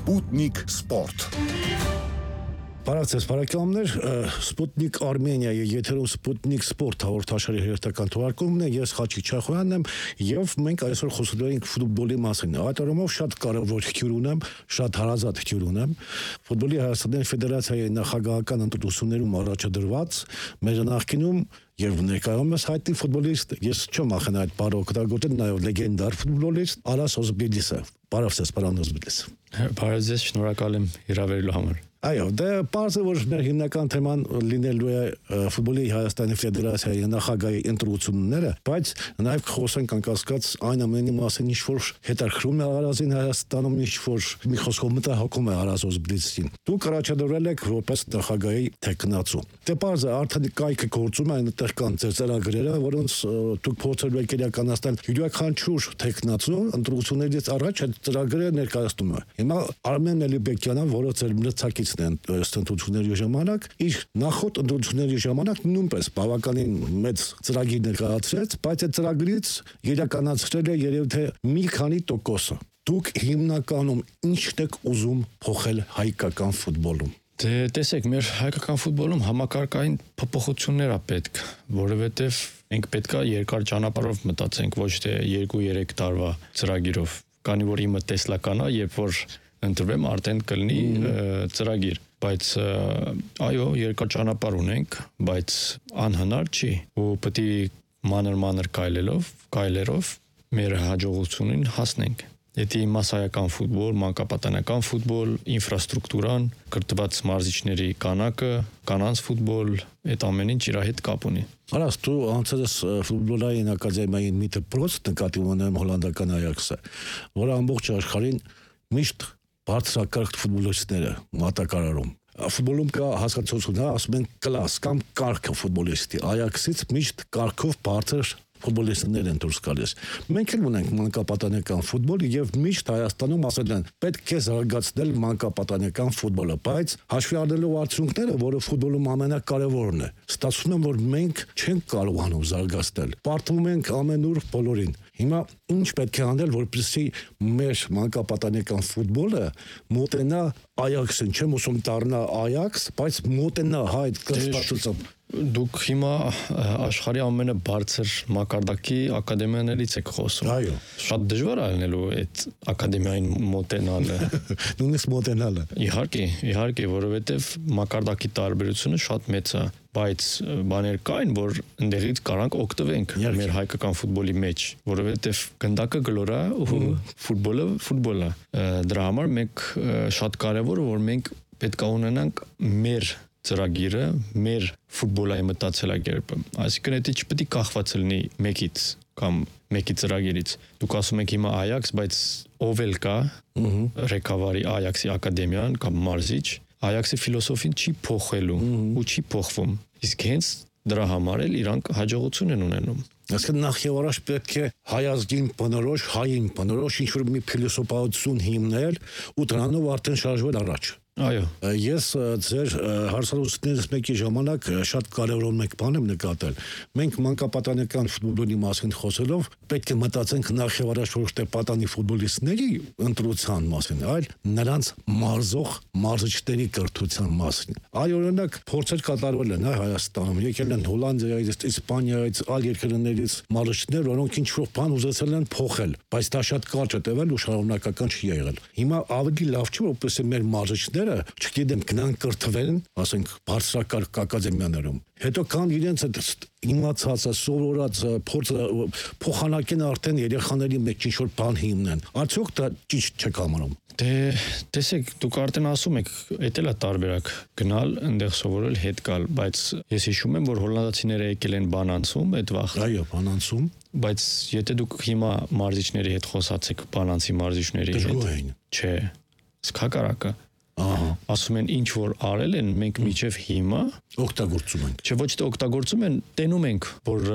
Sputnik Sport. Բարացես բարեկամներ, Sputnik Armenia-ի եթերում Sputnik Sport հաղորդաշարի հերթական թողարկումն է, ես Խաչիկ Չախոյանն եմ եւ մենք այսօր խոսելու ենք ֆուտբոլի մասին։ Այդ առումով շատ կարևոր հյուր ունեմ, շատ հարազատ հյուր ունեմ։ Ֆուտբոլի Հայաստանի Ֆեդերացիայի նախագահական ընտրություններում առաջադրված մեր նախկինում եւ ներկայումս հայտնի ֆուտբոլիստ, ես չեմ ախենա այդ բառը օգտագործել, նաեւ լեգենդար ֆուտբոլիստ Արաս Օզբիլիսը։ Բարև պարոն Օզբիլիս։ Բարև ձեզ, շնորհակալ եմ հրավերելու համար։ Այո, դա բարձր որ մեր հիմնական թեման լինելու է ֆուտբոլի Հայաստանի Ֆեդերացիայի նախագահի ընտրությունները, բայց նաև խոսենք անկասկած այն ամենի մասին, ինչ որ հետաքրում է Արազին Հայաստանում, ինչ որ մի խոսքով մտահոգում է Արազ Օզբիլիսին։ Դուք առաջադրել եք որպես նախագահի թեկնածու։ Դե բարձր արդեն կայքը գործում է, այնտեղ կան ծրագրերը, որոնց դուք փորձելու եք իրականացնել յուրաքանչյուր թեկնածու ընտրություններից առաջ այդ ծրագրերը ներկայացնում է։ Հիմա Արմեն Էլիբեկյանը, որը ձեր մրցակից ընտրությունների ժամանակ իր նախորդ ընտրությունների ժամանակ նույնպես բավականին մեծ ծրագիր ներկայացրեց, բայց այդ ծրագրից իրականացրել է երևի թե մի քանի տոկոսը։ Դուք հիմնականում ի՞նչն եք ուզում փոխել հայկական ֆուտբոլում։ Դե տեսեք, մեր հայկական ֆուտբոլում համակարգային փոփոխություններ է պետք, որովհետև մենք պետքա երկար ճանապարհով մտածենք, ոչ թե 2-3 տարվա ծրագիրով։ Քանի որ իմը տեսլական է, երբ որ ընտրվեմ արդեն կլինի ծրագիր, բայց այո, երկար ճանապարհ ունենք, բայց անհնար չի, ու պետք է մանր քայլերով մեր հաջողությունին հասնենք։ Եթե մասսայական ֆուտբոլ, մանկապատանեկան ֆուտբոլ, ինֆրաստրուկտուրան, կրթված մարզիչների քանակը, կանանց ֆուտբոլ, այդ ամեն ինչ իր հետ կապ ունի։ Արաս, դու անցած ֆուտբոլային ակադեմիայի մի դպրոց նկատի ունեմ հոլանդական Այաքսը, որը ամբողջ աշխարհին միշտ բարձրակարգ ֆուտբոլիստները մատակարարում։ Ֆուտբոլում կա հասկացություն, ասում են կլաս կամ կարգ ֆուտբոլիստի։ Այաքսից միշտ կարգով բարձր ֆուտբոլիստներ են դուրս գալիս։ Մենք էլ ունենք մանկապատանեկան ֆուտբոլ եւ միշտ Հայաստանում ասել են պետք է զարգացնել մանկապատանեկան ֆուտբոլը, բայց հաշվի առնելով արդյունքները, որը ֆուտբոլում ամենակարևորն է, ստացվում է, որ մենք չենք կարողանում զարգացնել։ Պարտվում ենք ամենուր բոլորին։ Հիմա ինչ պետք է անել, որպեսզի մեր մանկապատանեկան ֆուտբոլը մոտենա Այաքսին, չեմ ուզում դառնա Այաքս, բայց մոտենա հայտ կրթվածությամբ։ Դուք հիմա աշխարհի ամենաբարձր մակարդակի ակադեմիաներից եք խոսում։ Այո։ Շատ դժվար է լինելու այդ ակադեմիային մոտենալը։ Նույնիսկ մոտենալը։ Իհարկե, որովհետև մակարդակի տարբերությունը շատ մեծ է, բայց բաներ կային, որ ընդեղից կարանք օգտվենք մեր հայկական ֆուտբոլի մեջ, որովհետև գնդակը գլոր է ու ֆուտբոլը։ Դրա համար մենք շատ կարևոր է, որ մենք պետք է ունենանք մեր ծրագիրը, մեր ֆուտբոլային մտածելակերպը, այսինքն դա չպետք է կախված լինի մեկից կամ մեկի ծրագիրից։ Դուք ասում եք հիմա Այաքս, բայց ով էլ կա, Ռեկավարի Այաքսի ակադեմիան կամ մարզիչ, Այաքսի ֆիլոսոֆին չի փոխելու ու չի փոխվում։ Իսկ հենց դրա համար էլ իրանք հաջողություն են ունենում։ Այսինքն նախ եւ առաջ պետք է հայազգին բնորոշ, հային բնորոշ ինչ-որ մի փիլիսոփայություն հիմնել ու դրանով արդեն շարժվել առաջ։ Այո։ Ես ձեր հարցազրույցներից մեկի ժամանակ շատ կարևոր մեկ բան եմ նկատել։ Մենք մանկապատանեկան ֆուտբոլի մասին խոսելով պետք է մտածենք նախ եւ առաջ ոչ թե պատանի ֆուտբոլիստների ընտրության մասին, այլ նրանց մարզող մարզիչների կրթության մասին։ Այ օրինակ փորձեր կատարվել են Հայաստանում, եկել են Հոլանդիայից, Իսպանիայից, այլ երկրներից մարզիչներ, որոնք ինչ-որ բան ուզեցել են փոխել, բայց դա շատ կարճ է տևել ու շարունակական չի եղել։ Հիմա ավելի լավ չի, որպես մեր մարզիչները չգիտեմ, գնան կրթվեն, ասենք, բարձրակարգ ակադեմիաներում։ Հետո կան իրենց իմացածը, սովորած փորձը փոխանակեն արդեն երեխաների մեջ ինչ-որ բան հիմնեն։ Արդյոք դա ճիշտ չեք համարում։ Դե տեսեք, դուք արդեն ասում եք, դա էլ է տարբերակ գնալ, այնտեղ սովորել, հետ գալ, բայց ես հիշում եմ, որ հոլանդացիները եկել են Բանանցում այդ վաղ։ Այո, Բանանցում։ Բայց եթե դուք հիմա մարզիչների հետ խոսացեք, Բանանցի մարզիչների հետ, չէ, սկակարակը ասում են ինչ որ արել են, մենք միջև հիմա օգտագործում ենք։ Չէ, ոչ թե օգտագործում են, տենում ենք, որ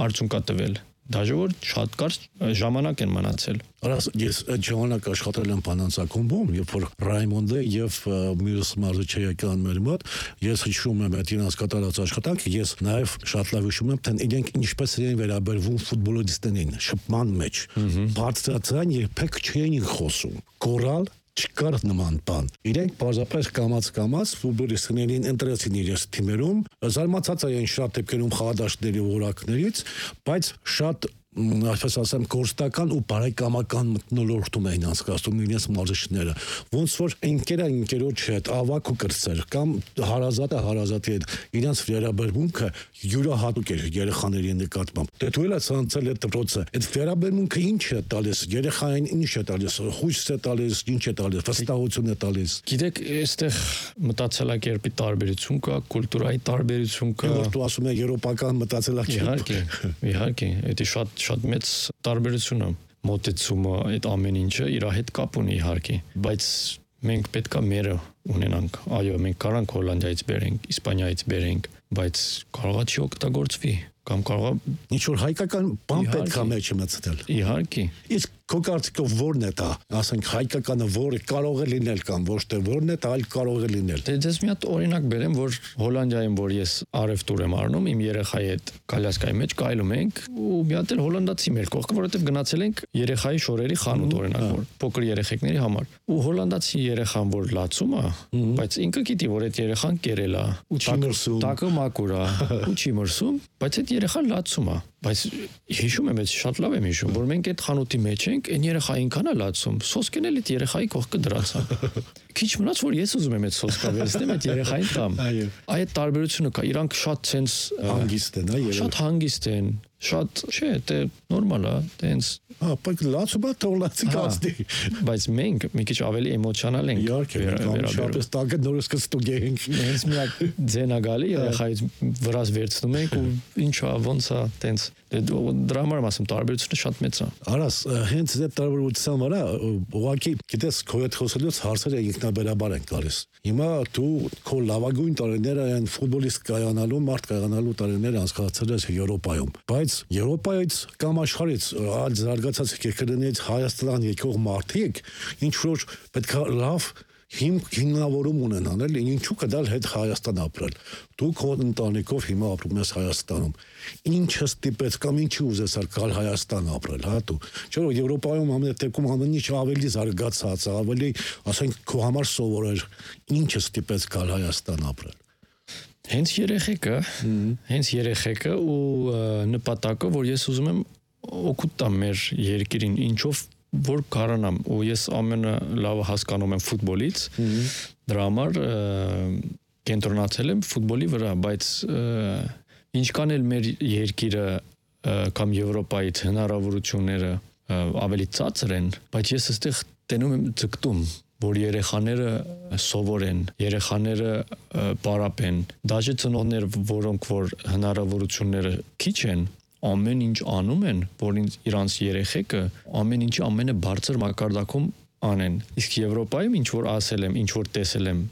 արդյունք կա տվել։ Դաժե շատ կարճ ժամանակ են մնացել։ Արաս, ես այդ ժամանակ աշխատել եմ Բանանցակումբում, երբ որ Ռայմոնդը եւ մյուս մարզիչը եկան մեր մոտ, ես հիշում եմ այդ իրենց կատարած աշխատանքը, ես նաեւ շատ լավ հիշում եմ, թե իրենք ինչպես էին վերաբերվում ֆուտբոլիստներին, շփման մեջ։ Բարձրացան երբեք չէին խոսում։ Կորալ չկար նման բան։ Իրենք բարձրապես կամած ֆուտբոլիստներին ընտրեցին իրենց թիմերում, զարմացած էին շատ դեպքերում խաղադաշտների որակներից, բայց շատ այսպես ասեմ կորստական ու բարեկամական մթնոլորտում էին անցկացնում իրենց մարզիչները, ոնց որ ընկերոջ հետ ավակ ու կրտսեր կամ հարազատի հետ իրենց վերաբերմունքը յուրահատուկ էր երեխաների նկատմամբ։ Դե դու էլ ես անցել այդ դպրոցը, այդ վերաբերմունքը ինչ է տալիս, երեխային ինչ է տալիս, հույս է տալիս, ինչ է տալիս, վստահություն է տալիս։ Գիտեք, այստեղ մտածելակերպի տարբերություն կա, կուլտուրայի տարբերություն կա։ Որ դու ասում ես եվրոպական մտածելակերպ։ Իհարկե, դա շատ մեծ տարբերություն է։ Մոտեցումը այդ ամեն ինչը իր հետ կապ ունի իհարկե, բայց մենք պետքա մերը ունենանք։ Այո, մենք կարանք Հոլանդիայից բերենք, Իսպանիայից բերենք, բայց կարողա չի օգտագործվի կամ կարողա ինչ որ հայկական բան պետքա մեջը մտցնել։ Իհարկե։ Իսկ քո կարծիքով ո՞րն է դա, ասենք հայկականը որը կարող է լինել կամ ոչ թե ո՞րն է դա, այլ կարող է լինել։ Դե ես մի հատ օրինակ բերեմ, որ Հոլանդիայում, որ ես արևտուր եմ առնում, իմ երեխայի հետ կալյասկայի մեջ կայլում ենք ու մի հատ էլ հոլանդացի մեր կողքը, որովհետև գնացել ենք երեխայի շորերի խանութ օրինակ, որ փոքր երեխեքների համար։ Ու հոլանդացի երեխան, որ լացում է, բայց ինքը գիտի, որ այդ երեխան կերել է, ու չի մրսում, տակը մաքուր է, ու չի մրսում, բայց այդ երեխան լացում է։ Բայց հիշում եմ, շատ լավ եմ հիշում, որ մենք այդ խանութի մեջ ենք, այն երեխային ինքան է լացում, սոսկեն էլ այդ երեխայի կողքը դրացա։ Քիչ մնաց, որ ես ուզում եմ այդ սոսկա վերցնեմ, այդ երեխային տամ։ Այդ տարբերությունը կա, իրանք շատ sense հանգիստ են, շատ հանգիստ են, շատ, չէ, դե նորմալ է, տենց բայց լացումա թողլացի կացնի։ Բայց մենք մի քիչ ավելի էմոցիոնալ ենք։ Իհարկե, շատես տակը նորից կստուգ ենք։ Հենց միակ ձենա գալի երեխայից վրաս վերցնում ենք ու ինչա, ոնց է, տենց դրա համար ասում տարբերությունը շատ մեծ է։ Արաս, հենց այդ տարբերության վրա ուղղակի գիտես քո հետ խոսելուց հարցերը ինքնաբերաբար են գալիս։ Հիմա դու քո լավագույն տարիները այն ֆուտբոլիստ կայանալու, մարդ կայանալու տարիները անցկացրել ես Եվրոպայում, բայց Եվրոպայից կամ աշխարհից այլ զարգացած երկրներից Հայաստան եկող մարդիկ ինչ որ պետք է լավ հիմնավորում ունենան, էլ ինչու կդալ հետ Հայաստան ապրել։ Դու քո ընտանիքով հիմա ապրում ես Հայաստանում։ Ինչը ստիպեց կամ ինչի ուզես գալ Հայաստան ապրել, հա դու։ Չէ՞ որ Եվրոպայում ամեն դեպքում ամեն ինչ ավելի զարգացած, ավելի, ասենք, քո համար սովոր էր։ Ինչը ստիպեց գալ Հայաստան ապրել։ Հենց երեխեքը ու նպատակը, որ ես ուզում եմ օգուտ տամ մեր երկրին, ինչով որ կարանամ, ու ես ամենը լավը հասկանում եմ ֆուտբոլից, դրա համար կենտրոնացել եմ ֆուտբոլի վրա, բայց ինչքան էլ մեր երկիրը կամ Եվրոպայից հնարավորությունները ավելի ցածր են, բայց ես այստեղ տենում եմ ձգտում, որ երեխաները սովորեն, երեխաները պարապեն, դաժե ծնողներ, որոնք որ հնարավորությունները քիչ են, ամեն ինչ անում են, որ իրանց երեխեքը ամեն ինչի ամենաբարձր մակարդակում անեն։ Իսկ Եվրոպայում ինչ որ ասել եմ, ինչ որ տեսել եմ,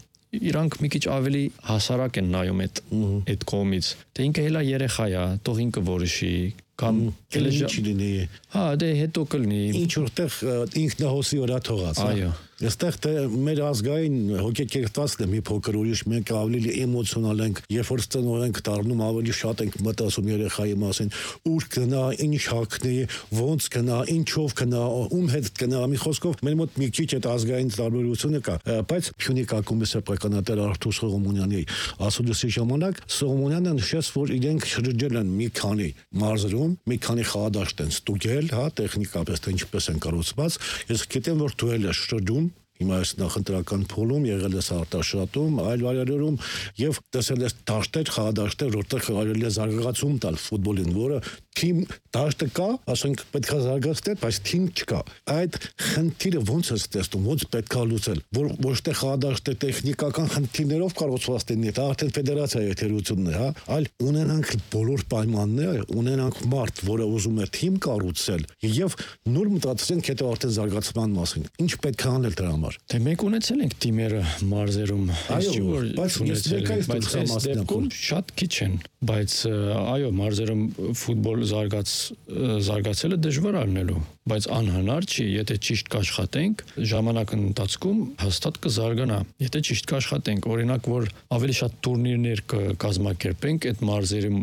իրանք մի քիչ ավելի հասարակ են նայում այդ կողմից։ Դե ինքը հելա երեխա է, թող ինքը որոշի, կամ ինչ լինի։ Հա, դե հետո կլինի։ Ինչ որտեղ ինքնահոսի վրա թողած։ Այո։ Այստեղ թե մեր ազգային հոգեկերտվածն է մի փոքր ուրիշ, մենք ավելի էմոցիոնալ ենք, երբ որ ծնող ենք դառնում, ավելի շատ ենք մտածում երեխայի մասին, ուր գնա, ինչ հագնի, ոնց գնա, ինչով գնա, ում հետ գնա, մի խոսքով մեր մոտ մի քիչ այդ ազգային տարբերությունը կա, բայց Փյունիկ ակումբի սեփականատեր Արթուր Սողոմոնյանի ասուլիսի ժամանակ Սողոմոնյանը նշեց, որ իրենք շրջել են մի քանի մարզերում, մի քանի խաղադաշտ են ստուգել, հա, տեխնիկապես թե ինչպես են կառուցված, ես գիտեմ, որ դու էլ ես շրջում Հիմա այս նախընտրական փուլում եղել ես արտաշատում, այլ վայրերում եւ տեսել ես դաշտեր, խաղադաշտեր, որտեղ կարելի է զարգացում տալ ֆուտբոլին, որը թիմ դաշտը կա, ասենք պետք է զարգացնել, բայց թիմ չկա։ Այդ խնդիրը ոնց է տեսնում, ոնց պետք է լուծել, որ ոչ թե խաղադաշտը տեխնիկական խնդիրներով կառուցված լինի, դա արդեն ֆեդերացիայի թերությունն է, հա, այլ ունենանք բոլոր պայմանները, ունենանք մարդ, որը ուզում է թիմ կառուցել եւ նոր մտածենք հետո արդեն զարգացման մասին։ Ինչ պետք է անել դրա համար։ Դե մենք ունեցել ենք թիմերը մարզերում, բայց այս դեպքում շատ քիչ են, բայց այո, մարզերում ֆուտբոլ զարգացելը դժվար առնելու, բայց անհնար չի, եթե ճիշտ կաշխատենք, ժամանակի ընթացքում հաստատ կզարգանա, եթե ճիշտ կաշխատենք, օրինակ, որ ավելի շատ տուրնիրներ կկազմակերպենք, այդ մարզերում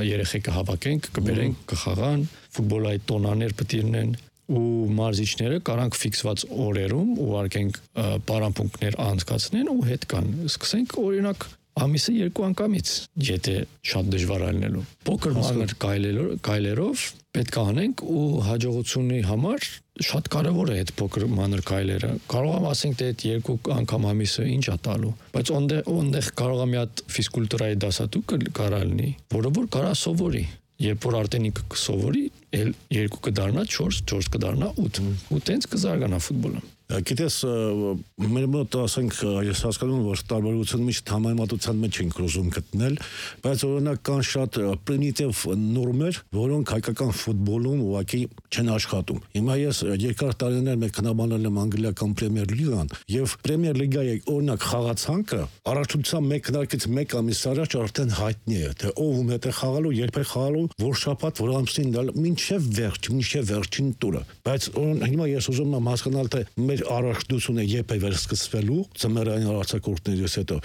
երեխեքը հավաքենք, կբերենք, կխաղան, ֆուտբոլային տոնաներ պետք լինեն, ու մարզիչները կարանք ֆիքսված օրերում ուղարկենք պարապմունքներ անցկացնեն ու հետ կան։ Սկսենք օրինակ ամիսը 2 անգամից, եթե շատ դժվար ալնելու։ Փոքր մանր կայլերով պետք է անենք ու հաջողությունի համար շատ կարևոր է այդ փոքր մանր կայլերը։ Կարող եմ ասենք թե այդ 2 անգամ ամիսը ինչ է տալու, բայց ոնդեղ կարող է մի հատ ֆիզկուլտուրայի դասատու կարալնի, որը որ կարա սովորի։ Երբ որ արդեն ինքը կսովորի, 2 կդառնա 4, 4 կդառնա 8, ու տենց կզարգանա ֆուտբոլը։ Գիտես, մեր մոտ ասենք ես հասկանում եմ, որ տարբերությունը միշտ համեմատության մեջ ենք ուզում գտնել, բայց օրինակ կան շատ պրիմիտիվ նորմեր, որոնք հայկական ֆուտբոլում ուղղակի չեն աշխատում։ Հիմա ես երկար տարիներ մեկ քննաբանել եմ անգլիական Պրեմիեր լիգան, եւ Պրեմիեր լիգայի օրինակ խաղացանքը առաջության մեկ քննարկից 1 ամիս առաջ արդեն հայտնի է, թե ով ում հետ է խաղալու, երբ է խաղալու, որ շաբաթ, որ ամսին դալ, մինչև վերջին տուրը։ Բայց հիմա ես ուզում եմ հասկանալ, թե առաջնությունը երբ է վերսկսվելու ծմերային արձակուրդներից հետո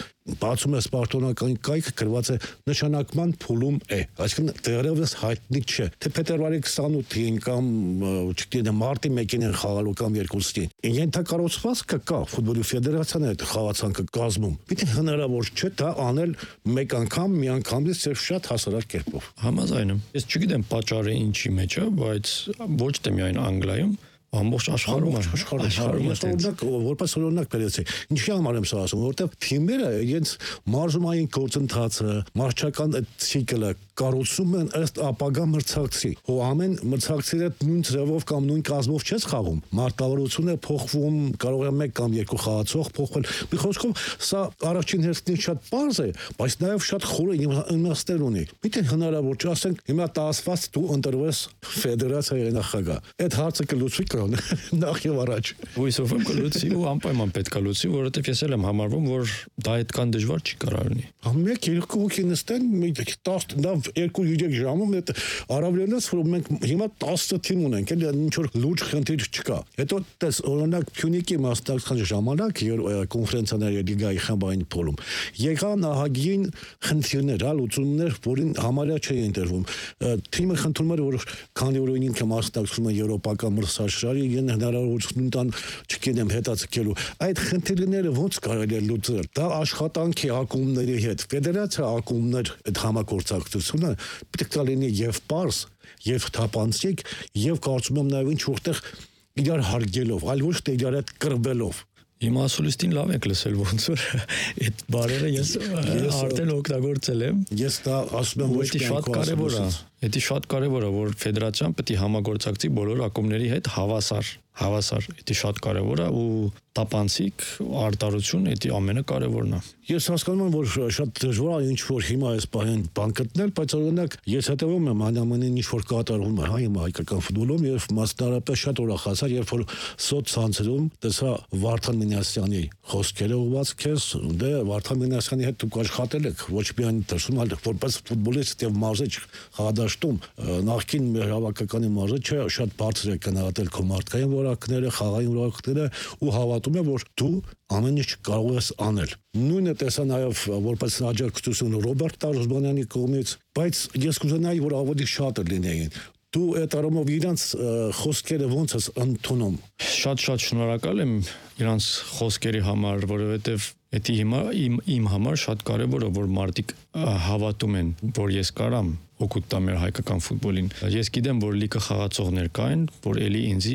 բացում է սպարտոնական կայքը գրված է նշանակման փուլում է, այսինքն դեռևս հայտնի չէ, թե փետրվարի 28-ին կամ չգիտեմ մարտի 1-ին են խաղալու կամ 2-ին։ Ենթակառուցվածքը կա, ֆուտբոլի ֆեդերացիան է խաղացանքը կազմում։ Պիտի հնարավոր չէ դա անել մեկ անգամ, մի անգամից եւ շատ հասարակ կերպով։ Համաձայն եմ։ Ես չգիտեմ պատճառը ինչի մեջ է, բայց ոչ թե միայն Անգլիայում, ամբողջ աշխարհում որպես օրինակ բերեցի։ Ինչի համար եմ սա ասում, որովհետև թիմերը իրենց մարզումային գործընթացը, մարզչական ցիկլը կառուցում են ըստ ապագա մրցակցի։ Ու ամեն մրցակցի հետ նույն ձևով կամ նույն կազմով չես խաղում։ Մարտավարությունը փոխվում, կարող է 1 կամ 2 խաղացող փոխվել։ Մի խոսքով սա առաջին հերթին շատ པարզ է, բայց նաև շատ խորը իմաստներ ունի։ Պիտի հնարավոր չէ, ասենք հիմա տասված դու ընտրվես ֆեդերացիայի նախագահ։ Այդ հարցը կլուծվի նախ եւ առաջ։ Հույսով եմ կլուծի ու անպայման պետք է լուծի, որովհետեւ ես էլ եմ համարվում, որ դա այդքան դժվար չի կարողանի։ 1-2 հոգի նստեն, 10-2-3 ժամում այդ առավելից որ մենք հիմա 10 թիմ ունենք, էլ ինչ որ լուրջ խնդիր չկա։ Հետո տես օրինակ Փյունիկի մասնակցության ժամանակ կոնֆերենցիաների լիգայի խմբային փոլում եկան ահագին խնդիրներ, լուծումներ, որին համարյա չէի ընտրվում։ Թիմը խնդրում էր, որ քանի որ ինքը մասնակցում է եվրոպական մրցաշարի, իրեն հնարավորություն տան, չգիտեմ, հետաձգելու։ Այդ խնդիրները ոնց կարելի է լուծել։ Դա աշխատանքի ակումբների հետ, ֆեդերացիա ակումբներ այդ համագործակցությունը պետք է լինի եւ պարզ, եւ թափանցիկ, եւ կարծում եմ նաեւ ինչ որտեղ իրար հարգելով, այլ ոչ թե իրար հետ կռվելով։ Իմ ասուլիստին լավ եք լսել ոնց որ այդ բարերը ես արդեն օգտագործել եմ։ Ես դա ասում եմ ոչ մի շատ կարևոր է։ Դա շատ կարևոր է, որ ֆեդերացիան պետք է համագործակցի բոլոր ակումբների հետ հավասար, դա շատ կարևոր է ու տապանցիկ արտարություն դա ամենակարևորն է։ Ես հասկանում եմ, որ շատ դժվար է ինչ որ հիմա այս բան գտնել, բայց օրինակ ես հետևում եմ անամենին ինչ որ կատարվում է հիմա հայկական ֆուտբոլում եւ մասնարարապես շատ ուրախացա, երբ որ սոցցանցերում տեսա Վարդան Մինասյանի խոսքերը ուղված քեզ, դե Վարդան Մինասյանի հետ դուք աշխատել եք, ոչ միայն դրսում, այլ որպես ֆուտբոլիստ եւ մարզիչ խաղադաշտում նախկին մեր հավաքականի մարզիչը շատ բարձր է գնահատել քո մարդկային որակները, խաղային որակները ու հավատում է, որ դու ամեն ինչ կարող ես անել։ Նույնը տեսա նաև որպես աջակցություն Ռոբերտ Տարոզբանյանի կողմից, բայց ես կուզենայի, որ ավելի շատը լինեին։ Դու այդ առումով իրանց խոսքերը ոնց ես ընդունում։ Շատ շնորհակալ եմ իրանց խոսքերի համար, որովհետև դա հիմա իմ համար շատ կարևոր է, որ մարդիկ հավատում են, որ ես կարամ օգուտ տամ մեր հայկական ֆուտբոլին։ Ես գիտեմ, որ լիքը խաղացողներ կային, որ էլի ինձի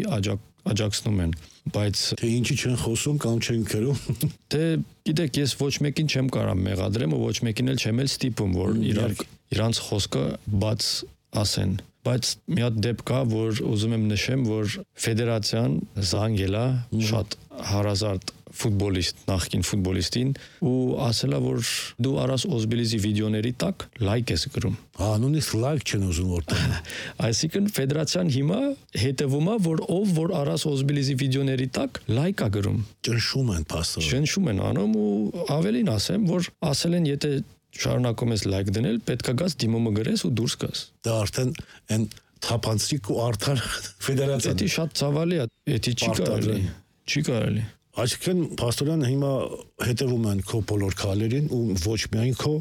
աջակցնում են, բայց թե ինչի չեն խոսում կամ չեն գրում։ Դե գիտեք, ես ոչ մեկին չեմ կարող մեղադրեմ ու ոչ մեկին էլ չեմ ստիպում, որ իրանց խոսքը բաց ասեն։ Բայց մի հատ դեպք կա, որ ուզում եմ նշեմ, որ ֆեդերացիան զանգել է շատ հարազատ ֆուտբոլիստ, նախկին ֆուտբոլիստին ու ասել է, որ դու Արաս Օզբելիզի վիդեոների տակ լայք ես գրում։ Նույնիսկ լայք չեն ուզում որտեղ։ Այսինքն ֆեդերացիան հիմա հետևում է, որ ով Արաս Օզբելիզի վիդեոների տակ լայք է գրում։ Ճնշում են փաստորեն։ Ճնշում են անում ու ավելին ասեմ, որ ասել են, եթե շարունակում ես լայք դնել, պետք է գաս դիմումը գրես ու դուրս գաս։ Դա արդեն այն թափանցիկ ու արդար ֆեդերացիան։ Դա շատ ցավալի է, դա չի կարելի։ Այսինքն փաստորեն հիմա հետևում են քո բոլոր քայլերին ու ոչ միայն քո,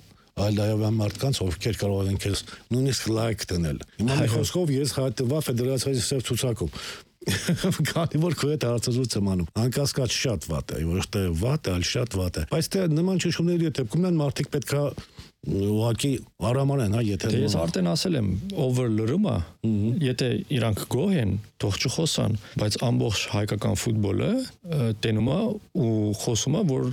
այլ նաև այն մարդկանց, ովքեր կարող են քեզ նույնիսկ լայք դնել։ Հիմա մի խոսքով ես հայտնվա ֆեդերացիայի ծրագրում։ Քանի որ քո հետ հարցազրույց եմ անում, անկասկած շատ վատ է, ոչ թե վատ է, այլ շատ վատ է։ Բայց թե նման ճշումների դեպքում մարդիկ պետքա ուղղակի արամանեն, հա, եթե ես արդեն ասել եմ, over լրումը, եթե իրանք գոհ են, թող չխոսան, բայց ամբողջ հայկական ֆուտբոլը տենում է ու խոսում է, որ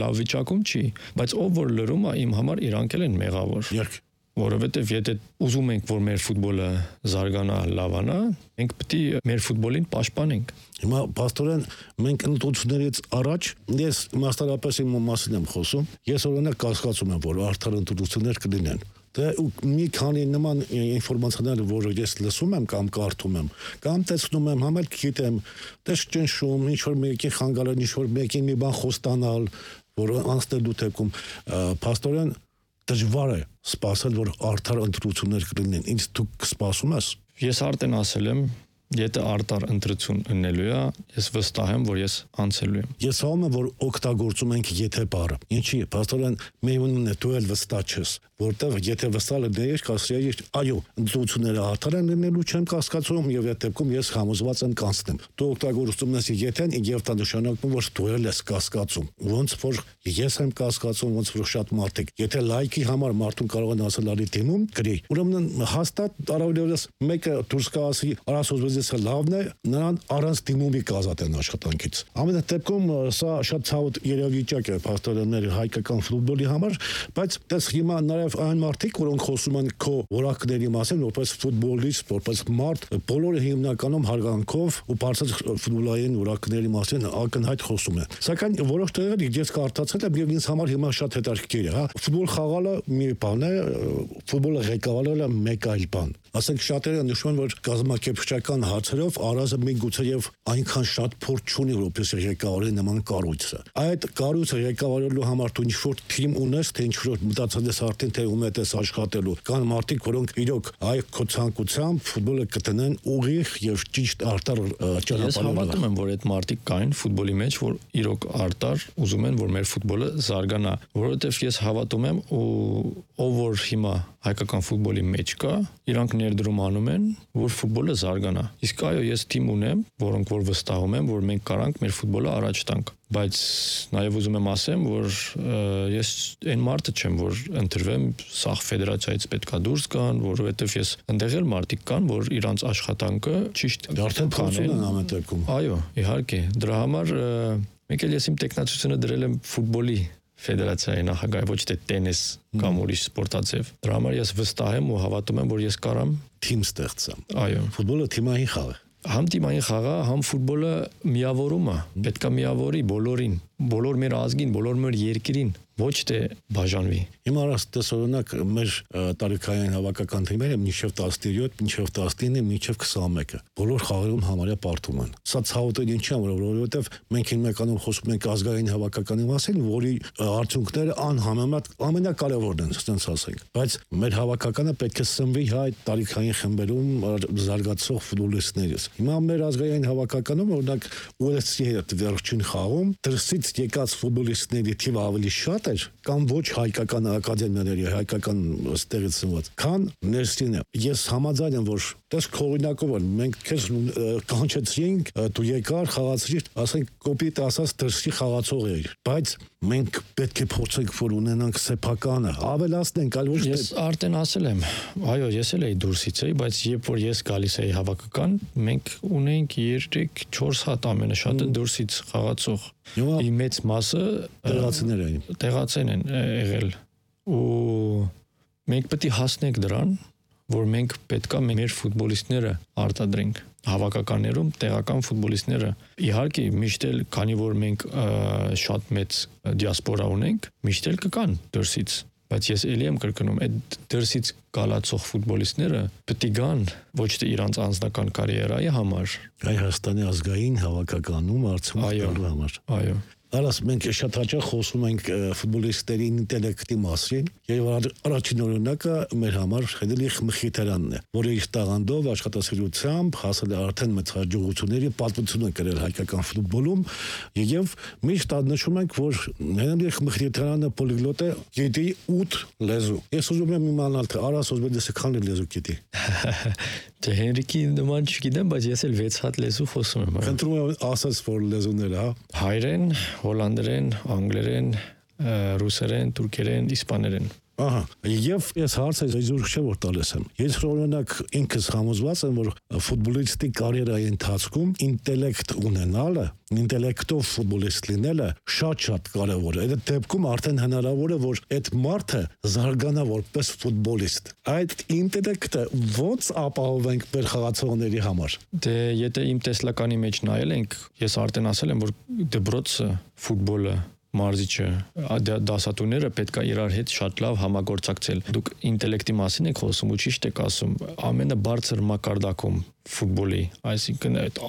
լավ վիճակում չի, բայց over լրումը իմ համար իրանք են մեղավոր։ Որովհետև եթե ուզում ենք, որ մեր ֆուտբոլը զարգանա, լավանա, մենք պետք է մեր ֆուտբոլին պաշտպանենք։ Հիմա փաստորեն մենք ընտրություններից առաջ ես մասնարարապես իմ մասին եմ խոսում, ես օրինակ կասկածում եմ, որ արդար ընտրություններ կլինեն։ Դե մի քանի նման ինֆորմացիաներ, որ ես լսում եմ կամ կարդում եմ, կամ տեսնում եմ, համ էլ գիտեմ, դες ճնշում, ինչ որ մեկի խանգարել, ինչ որ մեկին մի բան խոստանալ, որ անցնելու թեկում փաստորեն դժվար է սպասել, որ արդար ընտրություններ կլինեն։ Ինչ դու կսպասում ես։ Ես արդեն ասել եմ, եթե արդար ընտրություն ունենալու է, ես վստահ եմ, որ ես անցելու եմ։ Ես հավատում եմ, որ օգտագործում ենք եթե բառը։ Ինչի՞, փաստորեն մեյունն է դու էլ վստահ ես, որտեղ եթե վստահ ես, կասեի, այո, ընտրությունները արդար են լինելու, չեմ կասկածում եւ այդ դեպքում ես համոզված եմ կանցնեմ։ Դու օգտագործում ես եթեն եւ դա նշանակում որ դու էլ ես կասկածում։ Ոնց որ ես եմ կասկածում, ոնց որ շատ մարդիկ։ Եթե լայքի համար մարդուն կարող են ասել արի դիմում, գրի։ Ուրեմն հաստատ առավելևս մեկը դուրս կասի, արասոզվեզը լավն է, նրան առանց դիմումի կազատեն աշխատանքից։ Ամեն դեպքում սա շատ ցավոտ երևույթ է փաստորեն մեր հայկական ֆուտբոլի համար, բայց դες հիմա նաեւ այն մարդիկ, որոնք խոսում են քո որակների մասին, որպես ֆուտբոլիստ, որպես մարդ, բոլորը հիմնականում հարգանքով ու բարձր ֆուտբոլային որակների մասին ակնհայտ խոսում են։ Սակայն որոշ տեղեր ես կարդացել եմ եւ ինձ համար հիմա շատ հետաքրքիր է, հա։ Ֆուտբոլ խաղալը մի բան է, ֆուտբոլը ղեկավարելը մեկ այլ բան։ Ասենք շատերը նշում են, որ կազմակերպչական հարցերով Արազը միգուցեև այնքան շատ փորձ չունի, որպես ղեկավարի նման կառույցը։ Այդ կառույցը ղեկավարելու համար դու ինչ-որ թիմ ունես, թե ինչ-որ մտածել ես արդեն թե ում հետ ես աշխատելու։ Կան մարդիկ, որոնք իրոք այ քո ցանկությամբ ֆուտբոլը կտնեն ուղիղ եւ ճիշտ արդար ճանապարհով։ Ես հավատում եմ, որ այդ մարդիկ կային ֆուտբոլի մեջ, որ իրոք արդար ուզում են, որ մեր ֆուտբոլը զարգանա, որովհետեւ ես հավատում եմ ու ով որ հիմա հայկական ֆուտբոլի մեջ կա, իրանք ներդրում անում են, որ ֆուտբոլը զարգանա։ Իսկ այո, ես թիմ ունեմ, որոնք որ վստահում են, որ մենք կարանք մեր ֆուտբոլը առաջ տանք։ Բայց նաև ուզում եմ ասեմ, որ ես այն մարդը չեմ, որ ընտրվեմ սաղ ֆեդերացիայից պետքա դուրս գան, որովհետև ես ընդեղ էլ մարդիկ կան, որ իրանց աշխատանքը ճիշտ արդեն փոխում են ամեն դեպքում։ Այո, իհարկե, դրա համար մեկ էլ ես իմ տեխնացությունը դրել եմ ֆուտբոլի ֆեդերացիայի նախագահ, ոչ թե տենիս կամ ուրիշ սպորտաձև։ Դրա համար ես վստահ եմ ու հավատում եմ, որ ես կարամ թիմ ստեղծեմ։ Այո, ֆուտբոլը թիմային խաղ է։ Համ թիմային խաղը, համ ֆուտբոլը միավորում է, պետքա միավորի բոլորին, բոլոր մեր ազգին, բոլոր մեր երկրին, ոչ թե բաժանվի։ Հիմա օրինակ մեր տարիքային հավաքական թիմերը մինչև 17, մինչև 19, մինչև 21-ը բոլոր խաղերում համարյա պարտում են։ Սա ցավոտ ինչի՞ է, որովհետև մենք հիմնականում խոսում ենք ազգային հավաքականի մասին, որի արդյունքները անհամեմատ ամենակարևորն են, ասենք ասենք։ Բայց մեր հավաքականը պետք է սնվի հայ տարիքային խմբերում զարգացող ֆուտբոլիստներից։ Հիմա մեր ազգային հավաքականում օրինակ UFC-ի հետ վերջին խաղում դրսից եկած ֆուտբոլիստների թիվը ավելի շատ էր կամ ոչ հայկական ակադեմիաների հայկական ստեղից ծնված քան ներսին է։ Ես համաձայն եմ, որ դες քորինակով են մենք քեզ կանչեցրինք, դու եկար խաղացրիր, ասենք կոպիտ ասած դրսի խաղացող էիր, բայց մենք պետք է փորձենք որ ունենանք սեփականը, ավելացնենք, այլ ոչ թե։ Ես արդեն ասել եմ, այո, ես էլ էի դուրսից էի, բայց երբ որ ես գալիս էի հավաքական, մենք ունեինք 3-4 հատ ամենաշատը դուրսից խաղացող։ Ի մեծ մասը տեղացիներ են եղել ու մենք պետք է հասնենք դրան, որ մենք պետքա մեր ֆուտբոլիստները արտադրենք հավաքականներում տեղական ֆուտբոլիստները իհարկե միշտ էլ քանի որ մենք շատ մեծ դիասպորա ունենք միշտ էլ կկան դրսից բայց ես ելի եմ կրկնում այդ դրսից գալացող ֆուտբոլիստները պետք է գան ոչ թե իրանց անձնական կարիերայի համար Հայաստանի ազգային հավաքականում արցունքելու համար այո Արաս մենք շատ հաճախ խոսում ենք ֆուտբոլիստերի ինտելեկտի մասին եւ առաջին օրինակը մեր համար Խելիխ Մխիթարանն է, որը իր տաղանդով աշխատասիրությամբ հասել է արդեն մեծ հաջողությունների պատմություն է կրել հայկական ֆուտբոլում եւ միշտ նշում ենք, որ Խելիխ Մխիթարանը պոլիգլոտ է, գիտի 8 լեզու։ Ես ուզում եմ իմանալ, թե Արաս Օզբեդեսը քանի լեզու գիտի։ Դե Հենրիկի նման չգիտեմ, բայց ես էլ 6 հատ լեզու խոսում եմ։ Խնդրում եմ ասած որ լեզուներ, հա։ Հայերեն, հոլանդերեն, անգլերեն, ռուսերեն, թուրքերեն, իսպաներեն։ Ահա, եւ ես հարցը իզուր չէ որ տալիս եմ։ Ես օրինակ ինքս համոզված եմ, որ ֆուտբոլիստի կարիերայի ընթացքում ինտելեկտ ունենալը, ինտելեկտով ֆուտբոլիստ լինելը շատ կարևոր է։ Այդ դեպքում արդեն հնարավոր է, որ այդ մարդը զարգանա որպես ֆուտբոլիստ։ Այդ ինտելեկտը ո՞նց ապահովենք մեր խաղացողների համար։ Դե եթե իմ տեսլականի մեջ նայել ենք, ես արդեն ասել եմ, որ դպրոցը ֆուտբոլը մարզիչը դասատուները պետք է իրար հետ շատ լավ համագործակցել։ Դուք ինտելեկտի մասին եք խոսում ու ճիշտ եք ասում, ամենաբարձր մակարդակում ֆուտբոլի, այսինքն այդ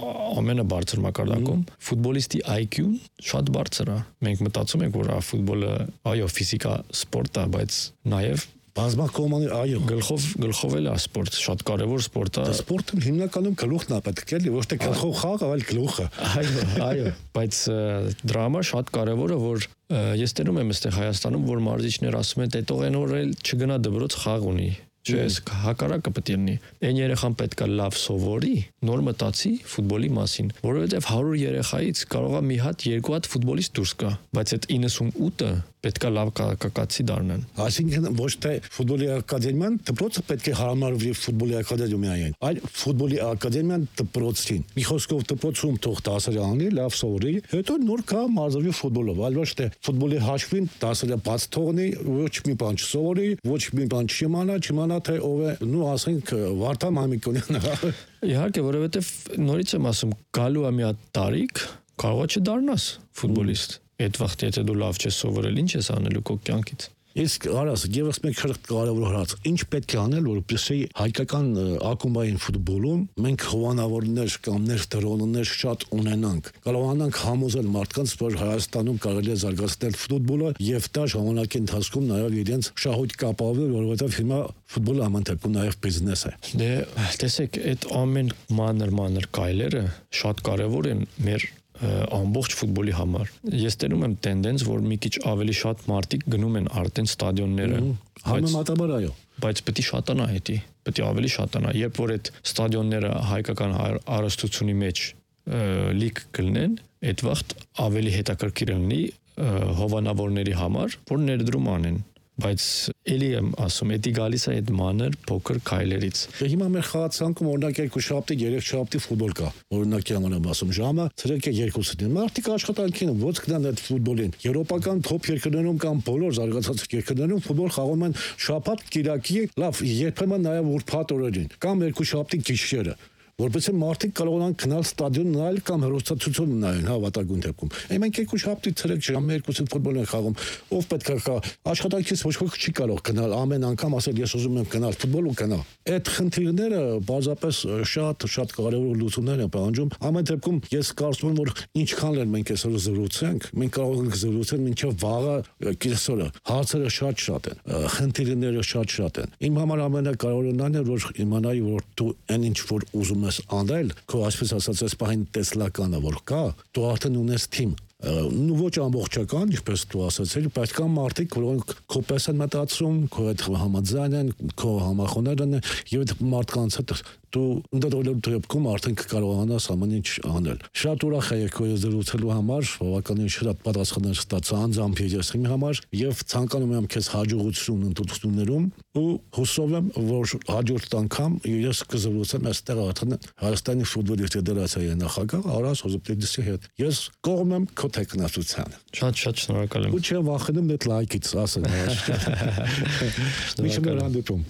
ամենաբարձր մակարդակում ֆուտբոլիստի IQ-ն շատ բարձր է։ Մենք մտածում ենք, որ ֆուտբոլը այո, ֆիզիկա սպորտ է, բայց նաև բազմակողմանի, այո, գլխով էլ է սպորտ, շատ կարևոր սպորտ է։ Սպորտը հիմնականում գլուխն է պետք է, ոչ թե գլխով խաղ, այլ գլուխը։ Այո, բայց դրա համար շատ կարևոր է, որ ես տենում եմ այստեղ Հայաստանում, որ մարզիչներ ասում են, դե տող այն օր էլ չգնա դպրոց խաղ ունի։ Չէ, հակառակը պետք է լինի։ Այն երեխան պետք է լավ սովորի, նոր մտածի ֆուտբոլի մասին, որովհետև 100 երեխայից կարող է մի հատ, երկու հատ ֆուտբոլիստ դուրս գա, բայց այդ 98-ը պետք է լավ կակացի դառնան։ Այսինքն ոչ թե ֆուտբոլի ակադեմիան դպրոցը պետք է հարմարվի ֆուտբոլի ակադեմիային, այլ ֆուտբոլի ակադեմիան դպրոցին։ Մի խոսքով դպրոցում թող դասերը անի, լավ սովորի, հետո նոր կա մարզվի ֆուտբոլով, այլ ոչ թե ֆուտբոլի հաշվին դասերը բաց թողնի, ոչ մի բան չսովորի, ոչ մի բան չիմանա թե ով է, նու ասենք Վարդան Մամիկոնյանը։ Իհարկե, որովհետև նորից եմ ասում, գալու է մի հատ տարիք, կարող է չդառնաս ֆուտբոլիստ։ Այդ վաղ եթե դու լավ չես սովորել, ինչ ես անելու քո կյանքից։ Իսկ արած եւս մեկ կարևոր հարց, ինչ պետք է անել, որպեսզի հայկական ակումբային ֆուտբոլում մենք հովանավորներ կամ ներդրողներ շատ ունենանք, կարողանանք համոզել մարդկանց, որ Հայաստանում կարելի է զարգացնել ֆուտբոլը եւ դա ժամանակի ընթացքում նաեւ իրենց շահույթ կապավի, որովհետեւ հիմա ֆուտբոլը ամենտեպքում նաեւ բիզնես է։ Դե տեսեք, այդ ամեն մանր կայլերը շատ կարևոր են մեր ամբողջ ֆուտբոլի համար։ Ես տենում եմ տենդենս, որ մի քիչ ավելի շատ մարդիկ գնում են արդեն ստադիոնները։ Համեմատաբար այո։ Բայց պետք է շատանա հետի, պետք է ավելի շատանա։ Երբ որ այդ ստադիոնները հայկական հարստությունի մեջ լիք կլինեն, այդ վաղ ավելի հետաքրքիր լինի հովանավորների համար, որ ներդրում անեն։ Բայց էլի եմ ասում, էդի գալիս է այդ մանր փոքր քայլերից։ Հիմա մեր խաղացանկում օրինակ 2 շաբթի, 3 շաբթի ֆուտբոլ կա։ Օրինակի համար եմ ասում, ժամը 3:30-ին։ Մարդիկ աշխատանքին ոնց գնան այդ ֆուտբոլին։ Եվրոպական թոփ երկրներում կամ բոլոր զարգացած երկրներում ֆուտբոլ խաղում են շաբաթ, կիրակի, լավ, երբեմն նաև ուրբաթ օրերին կամ 2 շաբթի գիշերը։ Որպեսզի մարդիկ կարողանան գնալ ստադիոն նայել կամ հեռուստացույց նայել, հավատագույն դեպքում։ Մենք 2 շաբթի ցերեկ ժամը 2-ին ֆուտբոլ են խաղում, ով պետք է կա, աշխատանքից ոչ ոք չի կարող գնալ ամեն անգամ ասել ես ուզում եմ գնալ ֆուտբոլ ու գնա։ Այդ խնդիրները բազապես շատ կարևոր լուծումներ են պահանջում։ Ամեն դեպքում ես կարծում եմ, որ ինչքան էլ մենք այսօր զրուցենք, մենք կարող ենք զրուցել մինչև վաղը կեսօրը։ Հարցերը շատ են, խնդիրները շատ են։ Իմ համար ամենակարևորն այն է, որ իմանայի, որ դու այն ինչ որ ուզում ես անել, քո այսպես ասած այս պահին տեսլականը որ կա, դու արդեն ունես թիմ։ Ոչ ամբողջական, ինչպես դու ասացիր, բայց կան մարդիկ, որոնք քո պես են մտածում, քո հետ համաձայն են, քո համախոհներ են, եւ այդ մարդկանց հետ դու ընդդեմ դեպքում արդեն կկարողանաս ամեն ինչ անել։ Շատ ուրախ եմ քո հետ զրուցելու համար, բավականին շատ պատասխաններ ստացա անձամբ ես իմ համար եւ ցանկանում եմ քեզ հաջողություն ընտրություններում ու հուսով եմ, որ հաջորդ անգամ ես կզրուցեմ այստեղ արդեն Հայաստանի ֆուտբոլի ֆեդերացիայի նախագահ Արաս Հոզոպետիսի հետ։ Ես կողմ եմ քո տեխնացությանը։ Շատ շնորհակալ եմ։ Ու չեմ վախենում այդ լայքից, ասեմ։ Միշտ հանդիպում։